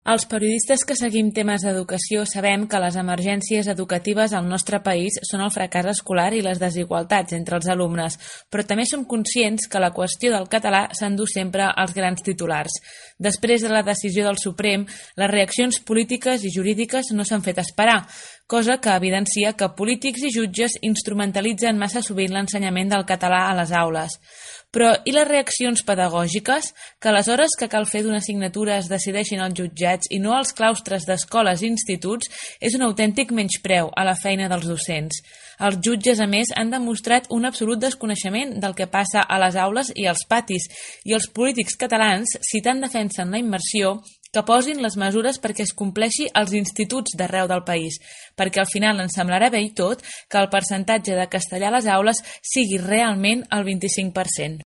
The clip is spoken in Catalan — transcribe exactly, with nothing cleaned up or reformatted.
Els periodistes que seguim temes d'educació sabem que les emergències educatives al nostre país són el fracàs escolar i les desigualtats entre els alumnes, però també som conscients que la qüestió del català s'endú sempre als grans titulars. Després de la decisió del Suprem, les reaccions polítiques i jurídiques no s'han fet esperar, cosa que evidencia que polítics i jutges instrumentalitzen massa sovint l'ensenyament del català a les aules. Però i les reaccions pedagògiques? Que a les hores que cal fer d'una assignatura es decideixin els jutjats i no als claustres d'escoles i instituts és un autèntic menyspreu a la feina dels docents. Els jutges, a més, han demostrat un absolut desconeixement del que passa a les aules i als patis, i els polítics catalans, si tant defensen la immersió, que posin les mesures perquè es compleixi als instituts d'arreu del país, perquè al final ens semblarà bé i tot que el percentatge de castellà a les aules sigui realment el vint-i-cinc per cent.